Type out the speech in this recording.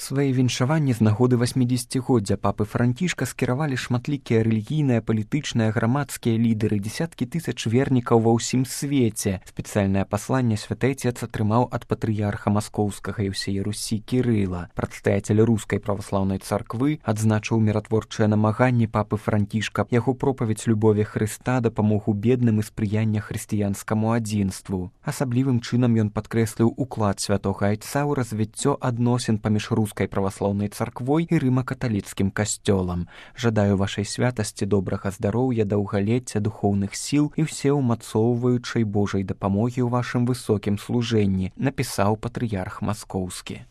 Свае віншаванні з нагоды 80-годдзя папы Францішка скіравалі шматлікія рэлігійныя, палітычныя, грамадскія лідары, дзесяткі тысяч вернікаў ва ўсім свеце. Спецыяльнае пасланне святы Отец атрымаў ад патрыярха маскоўскага і ўсей Русі Кірыла. Прадстаяцель рускай праваслаўнай царквы адзначыў міратворчыя намаганні папы Францішка, яго пропаведзь любові Хрыста, дапамогу бедным і спрыяння хрысціянскаму адзінству. Асаблівым чынам ён падкрэсліў уклад святога Айца ў развіццё адносін паміж рускай праваслаўнай царквой і рыма-каталіцкім касцёлам. Жадаю вашай святасці добрага здароўя, даўгалецця, духоўных сіл і ўсеўмацоўваючай Божай дапамогі ў вашым высокім служэнні, напісаў патрыярх маскоўскі.